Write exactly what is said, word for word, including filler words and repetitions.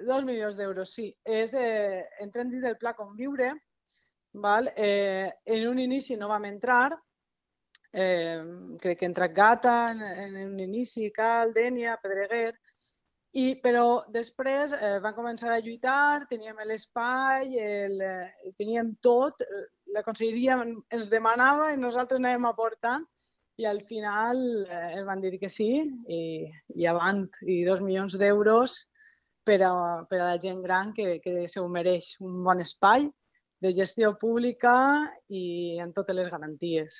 dos milions d'euros, sí. És, eh, entrem dins del Pla Conviure. Val? Eh, en un inici no vam entrar, eh, crec que ha entrat Gata en, en un inici, Cal, Dénia, Pedreguer, i, però després eh, van començar a lluitar, teníem l'espai, el, eh, teníem tot, la conselleria ens demanava i nosaltres anàvem aportant i al final eh, ens van dir que sí i, i avant, i dos milions d'euros per a, per a la gent gran que, que se ho mereix, un bon espai de gestió pública i amb totes les garanties.